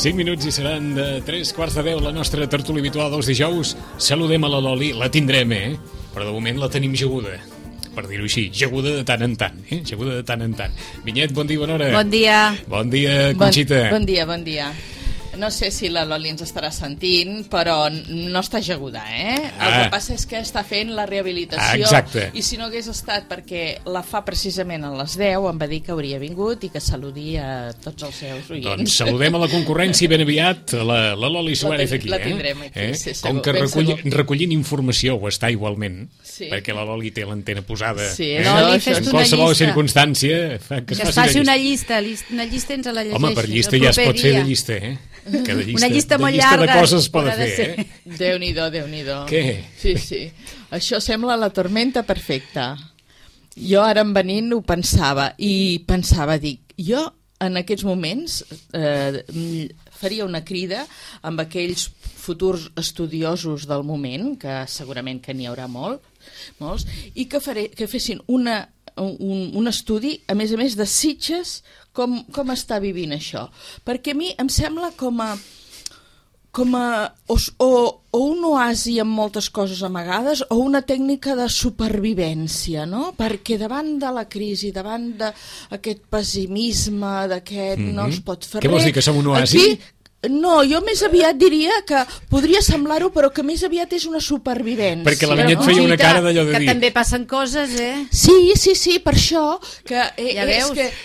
Cinc minuts i seran de 3:15 la nostra tertúlia habitual dels dijous. Saludem a la Loli, la tindrem, però de moment la tenim jaguda, per dir-ho així, jaguda de tant en tant, jaguda de tant en tant. Vinyet, bon dia, bona hora. Bon dia. Bon dia, Conxita. Bon dia, bon dia. No sé si la Loli ens estarà sentint, però no està jaguda, El que passa és que està fent la rehabilitació. Exacte. I si no hagués estat perquè la fa precisament a les 10, em va dir que hauria vingut i que saludi a tots els seus oients. Doncs saludem a la concurrència ben aviat, la Loli Suárez aquí. La tindrem aquí, sí, com que recollint informació ho està igualment, sí, perquè la Loli té l'antena posada, sí, en qualsevol circumstància, que es faci una llista ens la llegeixi. Home, per llista ja es pot fer de llista, una llista molt llarga de coses es pot fer, Déu-n'hi-do. Què? Sí. Això sembla la tormenta perfecta. Jo ara en venint ho pensava, dic, jo en aquests moments faria una crida amb aquells futurs estudiosos del moment, que segurament que n'hi haurà molts, i que fessin un estudi, a més de Sitges, com està vivint això. Perquè a mi em sembla com a un oasi amb moltes coses amagades o una tècnica de supervivència, no? Perquè davant de la crisi, davant d'aquest pessimisme, no es pot fer res... Què vols dir, que som un oasi? No, jo més aviat diria que podria semblar-ho, però que més aviat és una supervivència. Perquè la Vinyet feia una cara d'allò de dir... Que també passen coses, Sí, per això, que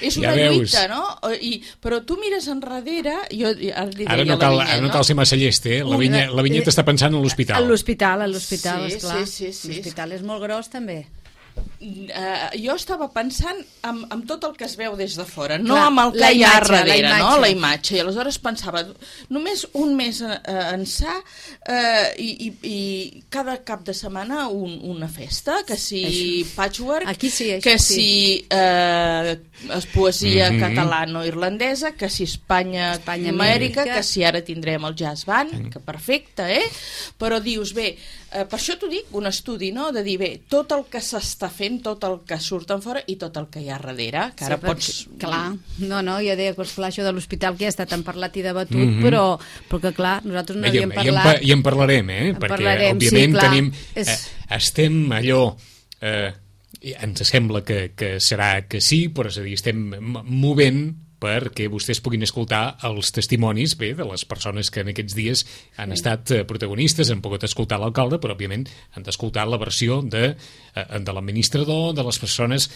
és una lluita, no? Però tu mires enrere... Ara no cal ser massa llest, La Vinyet està pensant en l'hospital. A l'hospital, esclar. Sí. L'hospital és molt gros, també. Jo estava pensant en tot el que es veu des de fora, no amb el que hi ha darrere, la imatge. I aleshores pensava, només un mes ençà i cada cap de setmana una festa, que si patchwork, que si poesia catalano-irlandesa, que si Espanya-Amèrica, que si ara tindrem el jazz band, que perfecte, però dius, bé, per això t'ho dic, un estudi, no?, de dir, bé, tot el que s'està fent, tot el que surt en fora i tot el que hi ha darrere, que ara pots... Clar, no, ja deia que això de l'hospital que ja està tan parlat i debatut, però que clar, nosaltres no havíem parlat... I en parlarem, perquè òbviament tenim... Estem allò... ens sembla que serà que sí, però és a dir, estem movent perquè vostès puguin escoltar els testimonis de les persones que en aquests dies han estat protagonistes, han pogut escoltar l'alcalde, però òbviament han d'escoltar la versió de l'administrador, de les persones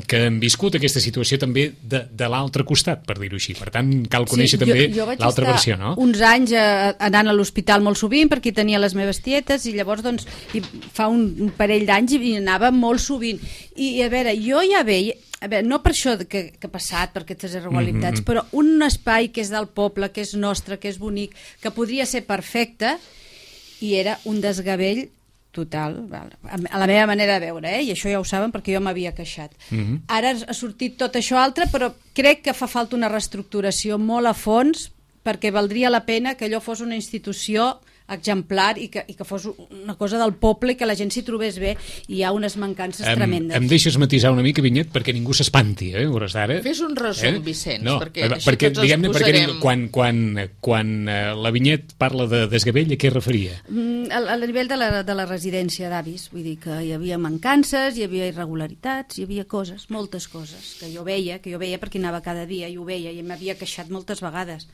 que han viscut aquesta situació també de l'altre costat, per dir-ho així. Per tant, cal conèixer també l'altra versió, no? Uns anys anant a l'hospital molt sovint perquè tenia les meves tietes i llavors doncs fa un parell d'anys i anava molt sovint. I a veure, jo ja veia... no per això que ha passat, per aquestes irregularitats, però un espai que és del poble, que és nostre, que és bonic, que podria ser perfecte, i era un desgavell total, a la meva manera de veure, i això ja ho saben perquè jo m'havia queixat. Ara ha sortit tot això altre, però crec que fa falta una reestructuració molt a fons, perquè valdria la pena que allò fos una institució exemplar i que fos una cosa del poble i que la gent s'hi trobés bé, i hi ha unes mancances tremendes. Em deixes matisar una mica, Vinyet, perquè ningú s'espanti, hores d'ara. Fes un resum, Vicenç, perquè tots els posarem... Quan la Vinyet parla de desgavell, a què es referia? A nivell de la residència d'avis, vull dir que hi havia mancances, hi havia irregularitats, hi havia coses, moltes coses, que jo veia perquè anava cada dia i ho veia i m'havia queixat moltes vegades.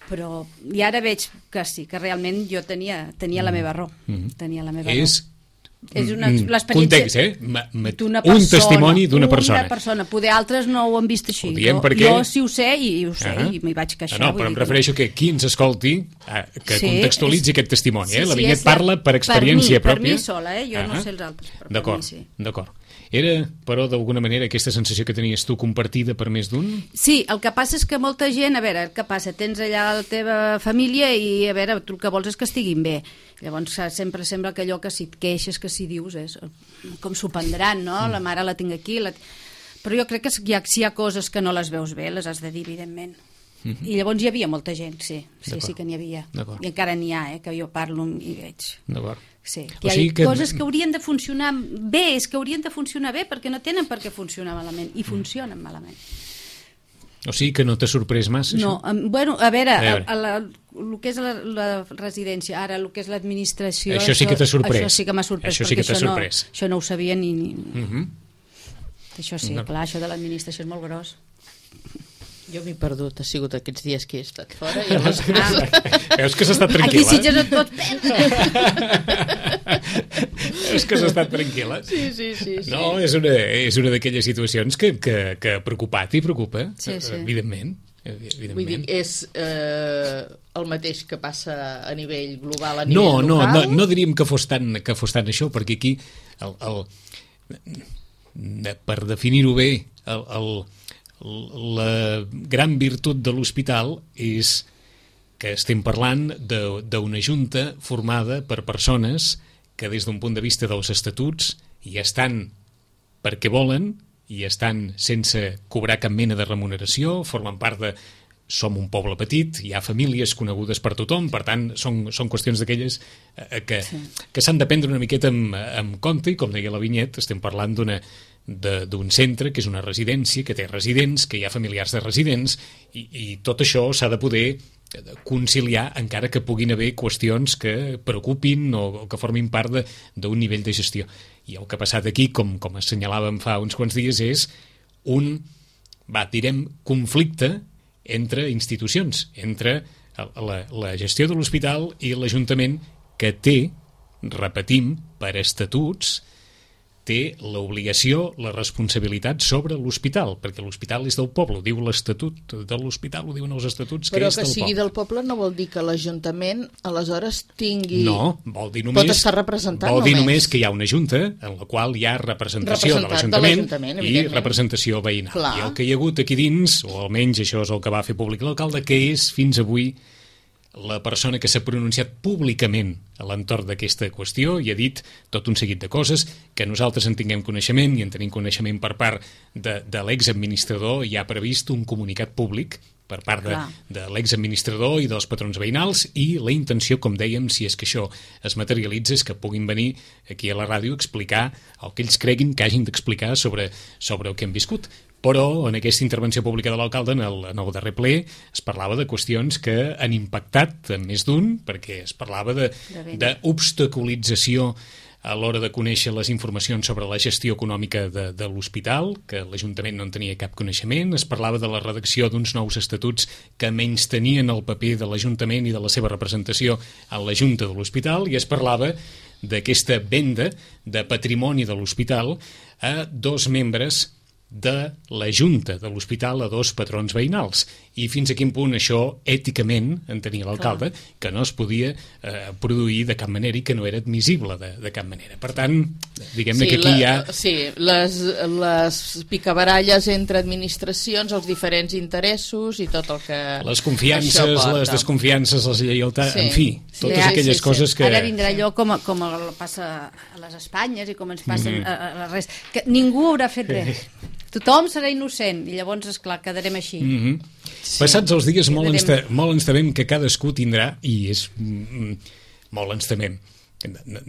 Però i ara veig que sí, que realment jo tenia la meva raó. Tenia la meva raó. És l'experiència d'una persona. Un testimoni d'una persona. Una persona. Poder altres no ho han vist així. Jo sí ho sé i ho sé i m'hi vaig queixar. No, però em refereixo que qui ens escolti que contextualitzi aquest testimoni. La Vinyet parla per experiència pròpia. Per mi sola, jo no sé els altres, però per mi sí. D'acord. Era, però, d'alguna manera, aquesta sensació que tenies tu compartida per més d'un? Sí, el que passa és que molta gent, a veure, què passa? Tens allà la teva família i, a veure, tu el que vols és que estiguin bé. Llavors sempre sembla que allò que si et queixes, que si dius, és com s'ho prendran, no? La mare la tinc aquí. Però jo crec que si hi ha coses que no les veus bé, les has de dir, evidentment. I llavors hi havia molta gent, sí que n'hi havia. I encara n'hi ha, que jo parlo i veig. D'acord. Sí, hi ha coses que haurien de funcionar bé, és que haurien de funcionar bé perquè no tenen per què funcionar malament i funcionen malament. O sigui que no t'ha sorprès massa, això? No, bueno, a veure, el que és la residència, ara el que és l'administració... Això sí que t'ha sorprès. Això sí que m'ha sorprès, això sí que això no ho sabia ni... Això sí, clar, això de l'administració és molt gros. Jo m'he perdut, ha sigut aquests dies que he estat fora i Veus que s'ha estat tranquil·la? Aquí sí ja no et pots perdre. Veus que s'ha estat tranquil·la? Sí. No, és una d'aquelles situacions que ha preocupat i preocupa, evidentment. Vull dir, és el mateix que passa a nivell global, a nivell local? No diríem que fos tant això, perquè aquí, per definir-ho bé, la gran virtut de l'hospital és que estem parlant d'una junta formada per persones que des d'un punt de vista dels estatuts hi estan perquè volen, hi estan sense cobrar cap mena de remuneració, formen part de... Som un poble petit, hi ha famílies conegudes per tothom, per tant, són qüestions d'aquelles que s'han de prendre una miqueta amb compte, i com deia la Vinyet, estem parlant d'un centre que és una residència, que té residents, que hi ha familiars de residents, i tot això s'ha de poder conciliar, encara que puguin haver qüestions que preocupin o que formin part d'un nivell de gestió. I el que ha passat aquí, com assenyalàvem fa uns quants dies, és direm, conflicte entre institucions, entre la gestió de l'hospital i l'Ajuntament, que té, repetim, per estatuts, té l'obligació, la responsabilitat sobre l'hospital, perquè l'hospital és del poble, ho diu l'Estatut de l'hospital, ho diuen els estatuts, que és del poble. Però que sigui del poble no vol dir que l'Ajuntament aleshores tingui... No, vol dir només... Pot estar representant vol dir només que hi ha una junta en la qual hi ha representació de l'Ajuntament i representació veïnal. Clar. I el que hi ha hagut aquí dins, o almenys això és el que va fer públic l'alcalde, que és fins avui la persona que s'ha pronunciat públicament a l'entorn d'aquesta qüestió i ha dit tot un seguit de coses que nosaltres en tinguem coneixement i en tenim coneixement per part de l'exadministrador. Hi ha previst un comunicat públic per part de l'exadministrador i dels patrons veïnals, i la intenció, com dèiem, si és que això es materialitza, és que puguin venir aquí a la ràdio a explicar el que ells creguin que hagin d'explicar sobre el que han viscut. Però en aquesta intervenció pública de l'alcalde, en el darrer ple, es parlava de qüestions que han impactat més d'un, perquè es parlava d'obstaculització a l'hora de conèixer les informacions sobre la gestió econòmica de l'hospital, que l'Ajuntament no en tenia cap coneixement. Es parlava de la redacció d'uns nous estatuts que menys tenien el paper de l'Ajuntament i de la seva representació a la Junta de l'Hospital, i es parlava d'aquesta venda de patrimoni de l'hospital a 2 membres de la Junta de l'Hospital, a 2 patrons veïnals. I fins a quin punt això, èticament, entenia l'alcalde, que no es podia produir de cap manera i que no era admissible de cap manera. Per tant, diguem-ne que aquí hi ha... Sí, les picabaralles entre administracions, els diferents interessos i tot el que... Les confiances, les desconfiances, les lleialtats, en fi, totes aquelles coses que... Ara vindrà allò com passa a les Espanyes i com ens passa a la resta, que ningú haurà fet res. Tothom serà innocent i llavors, esclar, quedarem així. Passats els dies molt ens temem que cadascú tindrà, i és molt ens temem,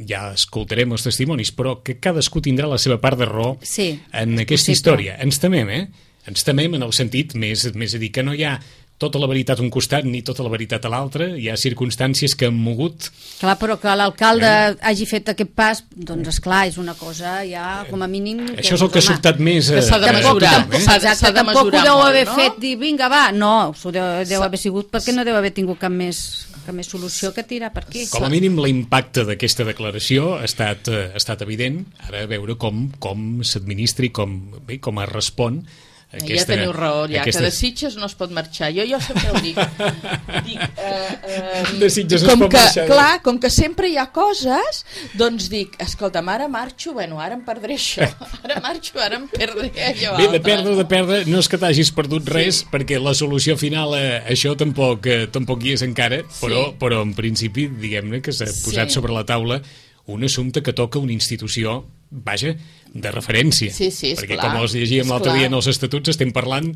ja escoltarem els testimonis, però que cadascú tindrà la seva part de raó en aquesta història. Ens temem, Ens temem en el sentit més a dir que no hi ha tota la veritat a un costat ni tota la veritat a l'altre, hi ha circumstàncies que han mogut... Clar, però que l'alcalde hagi fet aquest pas, doncs esclar, és una cosa ja com a mínim... Això és el que ha sobtat més... Que s'ha de mesurar. Exacte, tampoc ho deu haver fet, dir, vinga, va, no, deu haver sigut perquè no deu haver tingut cap més solució que tirar per aquí. Com a mínim l'impacte d'aquesta declaració ha estat evident, ara a veure com s'administra i com es respon. Ja teniu raó, ja, que de Sitges no es pot marxar. Jo sempre ho dic. De Sitges no es pot marxar. Clar, com que sempre hi ha coses, doncs dic, escolta'm, ara marxo, bueno, ara em perdré això. Ara marxo, ara em perdré allò altre. Bé, de perdre, no és que t'hagis perdut res, perquè la solució final a això tampoc hi és encara, però en principi, diguem-ne que s'ha posat sobre la taula un assumpte que toca una institució, vaja, de referència. Sí, perquè com els llegíem l'altre dia en els estatuts, estem parlant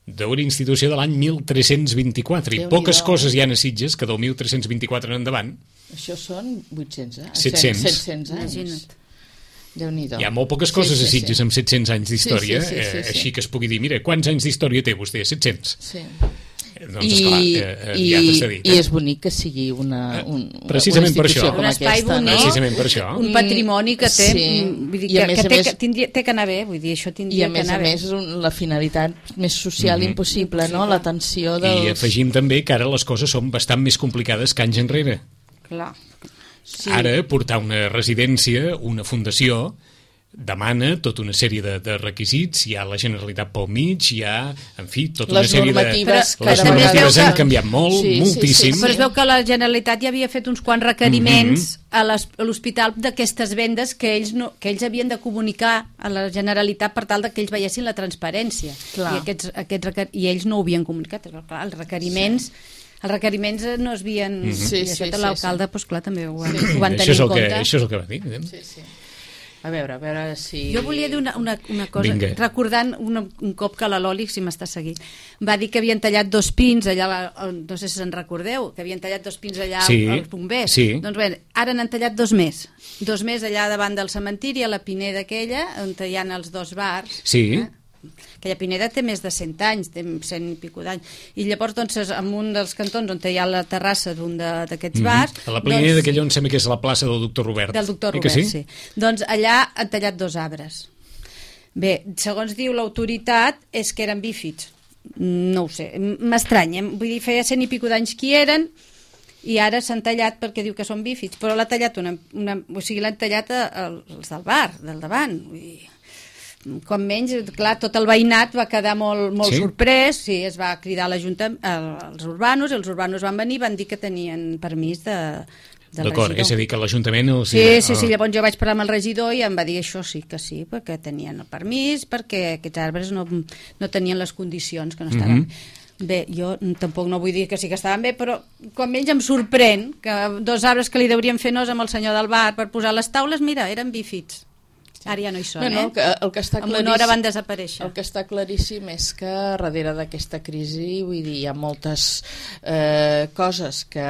d'una institució de l'any 1324, i poques coses hi ha a Sitges que del 1324 en endavant. Això són 800, 700 anys. Déu-n'hi-do. Hi ha molt poques coses a Sitges amb 700 anys d'història, així que es pugui dir, mira, quants anys d'història té vostè? 700. Sí. Doncs, esclar, ja t'està dit. I és bonic que sigui una precisament per això. Un espai bonic, precisament per això. Un patrimoni que té, vull dir, que té que anar bé, vull dir, això tindria que anar bé. I a més la finalitat més social impossible, no? L'atenció dels... I afegim també que ara les coses són bastant més complicades que anys enrere. Clar. Ara, portar una residència, una fundació, demana tota una sèrie de requisits, hi ha la Generalitat pel mig, hi ha, en fi, tota una sèrie de... Les normatives han canviat molt, moltíssim. Però es veu que la Generalitat ja havia fet uns quants requeriments a l'hospital d'aquestes vendes que ells havien de comunicar a la Generalitat per tal que ells veiessin la transparència. I ells no ho havien comunicat. Clar, els requeriments no es havien... I això l'alcalde, clar, també ho van tenir en compte. Això és el que va dir. Sí. A veure si... Jo volia dir una cosa, recordant un cop que la Loli, si m'està seguint, va dir que havien tallat 2 pins allà, no sé si se'n recordeu, que havien tallat 2 pins allà als bombers. Doncs bé, ara n'han tallat 2 més. 2 més allà davant del cementiri, a la Pineda aquella, on hi ha els 2 bars. Sí. Aquella Pineda té més de 100 anys, té 100 i pico d'anys. I llavors, doncs, en un dels cantons on hi ha la terrassa d'un d'aquests bars... A la Pineda d'aquella on sembla que és la plaça del doctor Robert. Del doctor Robert, sí. Doncs allà han tallat 2 arbres. Bé, segons diu l'autoritat, és que eren bífids. No ho sé, m'estranya. Vull dir, feia 100 i pico d'anys que hi eren i ara s'han tallat perquè diu que són bífids, però l'ha tallat o sigui, l'han tallat els del bar, del davant. Vull dir, com menys, clar, tot el veïnat va quedar molt sorprès, es va cridar als urbanos, i els urbanos van venir i van dir que tenien permís de D'acord, és a dir, que l'Ajuntament... Sí, llavors jo vaig parlar amb el regidor i em va dir això sí, perquè tenien el permís, perquè aquests arbres no tenien les condicions, que no estaven... Bé, jo tampoc no vull dir que sí que estaven bé, però com menys em sorprèn que 2 arbres que li deurien fer nos amb el senyor del bar per posar les taules, mira, eren bífids. Ara ja no hi són, el que està en una hora van desaparèixer. El que està claríssim és que darrere d'aquesta crisi, vull dir, hi ha moltes coses que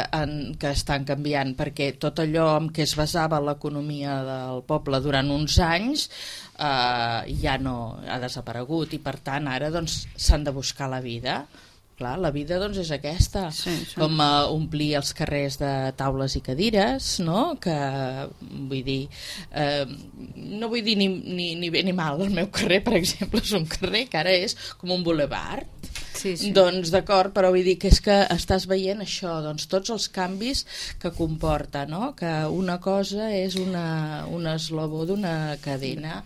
estan canviant, perquè tot allò en què es basava l'economia del poble durant uns anys ja no ha desaparegut, i per tant ara doncs s'han de buscar la vida. Clar, la vida doncs és aquesta, com omplir els carrers de taules i cadires, no? Que vull dir, no vull dir ni bé ni mal, el meu carrer, per exemple, és un carrer que ara és com un bulevard. Doncs d'acord, però vull dir que és que estàs veient això, doncs tots els canvis que comporta, no? Que una cosa és un eslabó d'una cadena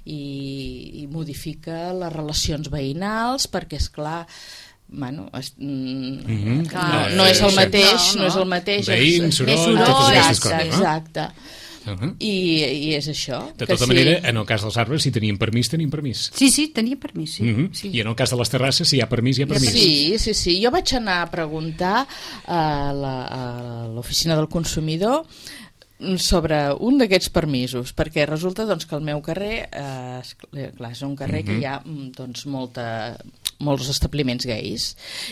i modifica les relacions veïnals, perquè és clar, bueno, no és el mateix, veïns, soroll, totes aquestes coses, no? Exacte. I és això. De tota manera, en el cas dels arbres, si tenien permís, tenim permís. Sí, tenien permís, sí. I en el cas de les terrasses, si hi ha permís, hi ha permís. Sí. Jo vaig anar a preguntar a l'oficina del consumidor sobre un d'aquests permisos, perquè resulta doncs, que el meu carrer és un carrer que hi ha doncs, molts establiments gais,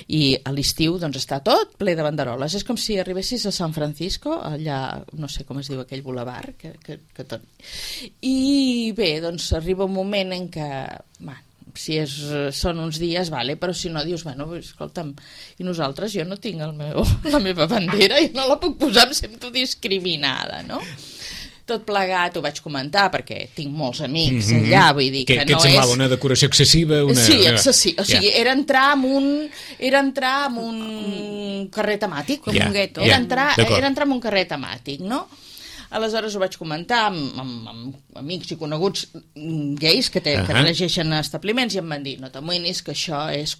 i a l'estiu doncs, està tot ple de banderoles. És com si arribessis a San Francisco, allà, no sé com es diu aquell bulevard, que tot... I bé, doncs arriba un moment en què si són uns dies, vale, però si no, dius, bueno, escolta'm, i nosaltres, jo no tinc la meva bandera, i no la puc posar, em sento discriminada, no? Tot plegat ho vaig comentar, perquè tinc molts amics allà, vull dir que no és... Què et semblava, una decoració excessiva? Sí, excessiva, o sigui, era entrar en un carrer temàtic, com un gueto, era entrar en un carrer temàtic, no? Aleshores ho vaig comentar amb amics i coneguts gais que regeixen establiments i em van dir, no t'amoïnis que això és...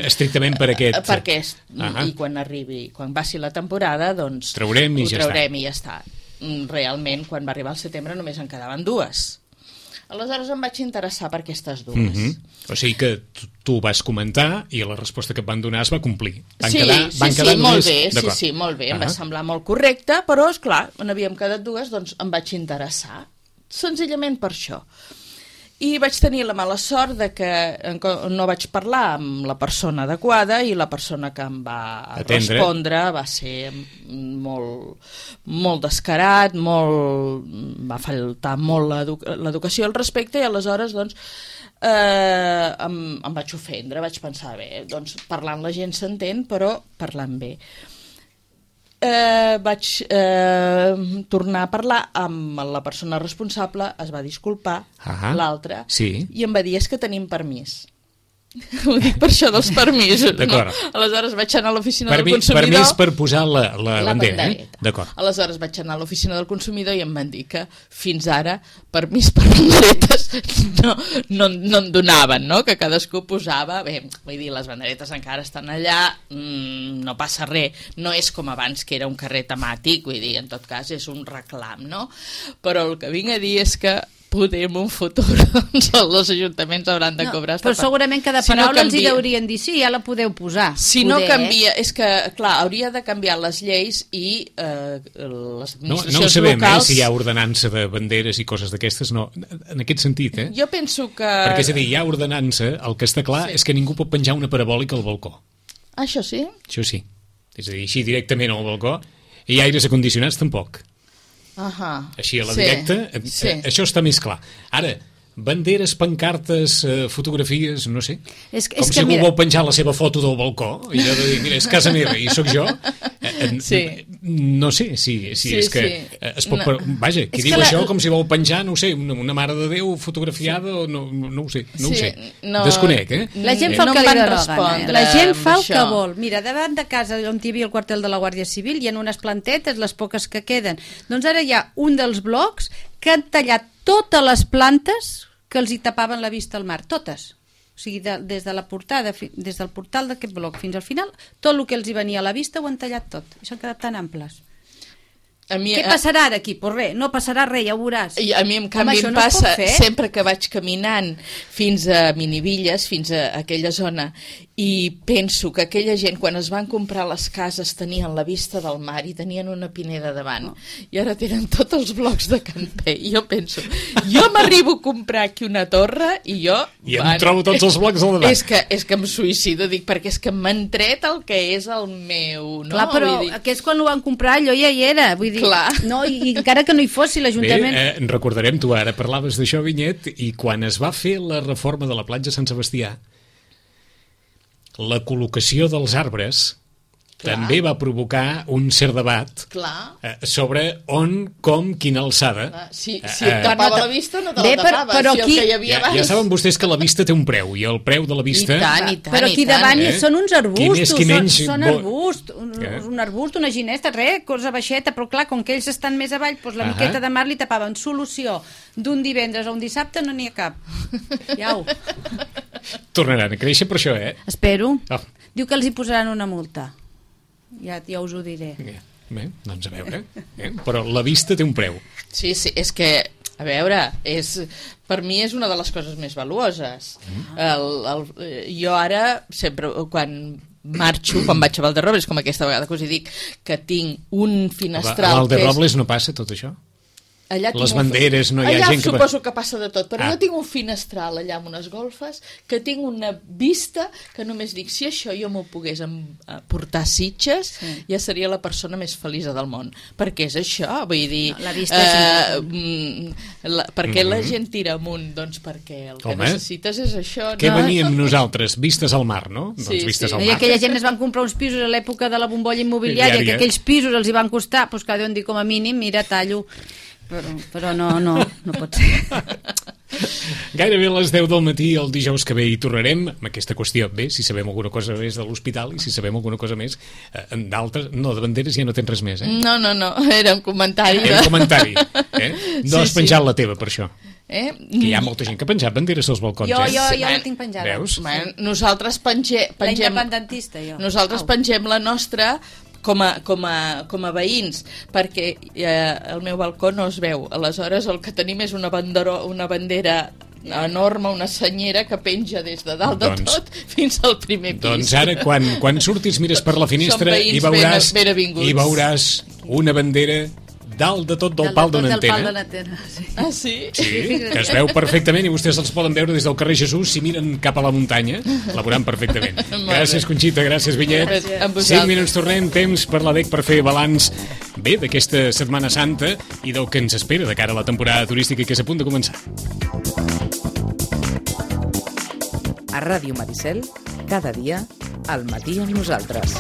estrictament per aquest... I quan passi la temporada, doncs... ho traurem i ja està. Realment, quan va arribar al setembre només en quedaven 2. Aleshores em vaig interessar per aquestes 2. O sigui que tu vas comentar i la resposta que et van donar es va complir. Sí, molt bé, em va semblar molt correcte, però, esclar, n'havíem quedat 2, doncs em vaig interessar. Senzillament per això. I vaig tenir la mala sort de que no vaig parlar amb la persona adequada i la persona que em va respondre va ser molt descarat, va faltar molt l'educació al respecte, i aleshores doncs em vaig ofendre, vaig pensar, bé, doncs parlant la gent s'entén, però parlant bé. Vaig tornar a parlar amb la persona responsable, es va disculpar, l'altra, i em va dir, és que tenim permís. Ho dic per això dels permisos. Aleshores vaig anar a l'oficina del consumidor... Permís per posar la bandera. Aleshores vaig anar a l'oficina del consumidor i em van dir que fins ara permís per banderetes no en donaven, no? Que cadascú posava... Bé, vull dir, les banderetes encara estan allà, no passa res, no és com abans que era un carrer temàtic, vull dir, en tot cas és un reclam, no? Però el que vinc a dir és que poder en un futur els ajuntaments hauran de cobrar. Però segurament cada paraula els hi deurien dir, sí, ja la podeu posar. Si no canvia, és que, clar, hauria de canviar les lleis i les administracions locals... No ho sabem, si hi ha ordenança de banderes i coses d'aquestes, no, en aquest sentit, Jo penso que... Perquè, és a dir, hi ha ordenança, el que està clar és que ningú pot penjar una parabòlica al balcó. Això sí? Això sí. És a dir, així directament al balcó, i aires acondicionats tampoc. Així a la directa, això està més clar. Ara, banderes, pancartes, fotografies, no sé, com si algú vol penjar la seva foto del balcó i de dir, mira, és casa meva i sóc jo. No sé si és que es pot... Vaja, qui diu això com si vol penjar, no ho sé, una mare de Déu fotografiada o no ho sé, desconec, La gent fa el que li dona, la gent fa el que vol. Mira, davant de casa on hi havia el quartel de la Guàrdia Civil hi ha unes plantetes, les poques que queden, doncs ara hi ha un dels blocs que han tallat totes les plantes que els hi tapaven la vista al mar, totes. O sigui, des de la portada, des del portal d'aquest bloc fins al final, tot el que els hi venia a la vista ho han tallat tot. I s'han quedat tan amples. Què passarà ara aquí? Pues res, no passarà res, ja ho veuràs. I a mi, en canvi, em passa, sempre que vaig caminant fins a Minivilles, fins a aquella zona, i penso que aquella gent, quan es van comprar les cases, tenien la vista del mar i tenien una pineda davant, i ara tenen tots els blocs de camper. I jo penso, jo m'arribo a comprar aquí una torre i jo... I em trobo tots els blocs al davant. És que em suïcido, dic, perquè és que m'han tret el que és el meu... Clar, però aquest quan ho van comprar allò ja hi era, vull dir... No, i encara que no hi fos, si l'Ajuntament... Bé, recordarem, tu ara parlaves d'això, Vinyet, i quan es va fer la reforma de la platja Sant Sebastià, la col·locació dels arbres també va provocar un cert debat sobre on, com, quina alçada. Si et tapava la vista, no te la tapava. Però aquí... Ja saben vostès que la vista té un preu, i el preu de la vista... I tant, però aquí davant són uns arbustos, són arbustos, un arbust, una ginesta, res, cosa baixeta, però clar, com que ells estan més avall, doncs la miqueta de mar li tapaven. Solució, d'un divendres a un dissabte no n'hi ha cap. Iau. Tornaran a créixer per això, Espero. Diu que els hi posaran una multa. Ja us ho diré. Bé, doncs a veure. Però la vista té un preu. Sí, és que, a veure, per mi és una de les coses més valuoses. Jo ara, sempre, quan marxo, quan vaig a Valderrobles, com aquesta vegada que us hi dic, que tinc un finestral... A Valderrobles no passa tot això? les banderes, no hi ha allà gent que... suposo que passa de tot, però jo tinc un finestral allà amb unes golfes que tinc una vista que només dic, si això jo m'ho pogués portar a Sitges, ja seria la persona més feliç del món, perquè és això, vull dir, la vista és per què la gent tira amunt? Doncs perquè el que necessites és això. Què veníem nosaltres? Vistes al mar, no? Doncs vistes al mar. I aquella gent es van comprar uns pisos a l'època de la bombolla immobiliària, que aquells pisos els hi van costar, doncs que deuen dir com a mínim, mira, tallo. Però no pot ser. Gairebé a les 10 del matí el dijous que ve hi tornarem amb aquesta qüestió. Bé, si sabem alguna cosa més de l'hospital i si sabem alguna cosa més d'altres... No, de banderes ja no tens res més, eh? No, era un comentari. Era un comentari, eh? No has penjat la teva per això. Que hi ha molta gent que ha penjat banderes als balcons. Jo la tinc penjada. Veus? Nosaltres pengem... La independentista, jo. Nosaltres pengem la nostra... Com a veïns, perquè el meu balcó no es veu, aleshores el que tenim és una bandera enorme, una senyera que penja des de dalt de tot fins al primer pis. Doncs ara quan surtis mires per la finestra i veuràs una bandera dalt de tot del pal d'una antena. Sí. Ah, sí? Sí, que es veu perfectament i vostès els poden veure des del carrer Jesús si miren cap a la muntanya, la veuran perfectament. Gràcies, Conxita, gràcies, Vinyet. 5 minuts tornem, temps per la DEC per fer balanç bé d'aquesta Setmana Santa i del que ens espera de cara a la temporada turística que és a punt de començar. A Ràdio Maricel, cada dia, al matí amb nosaltres.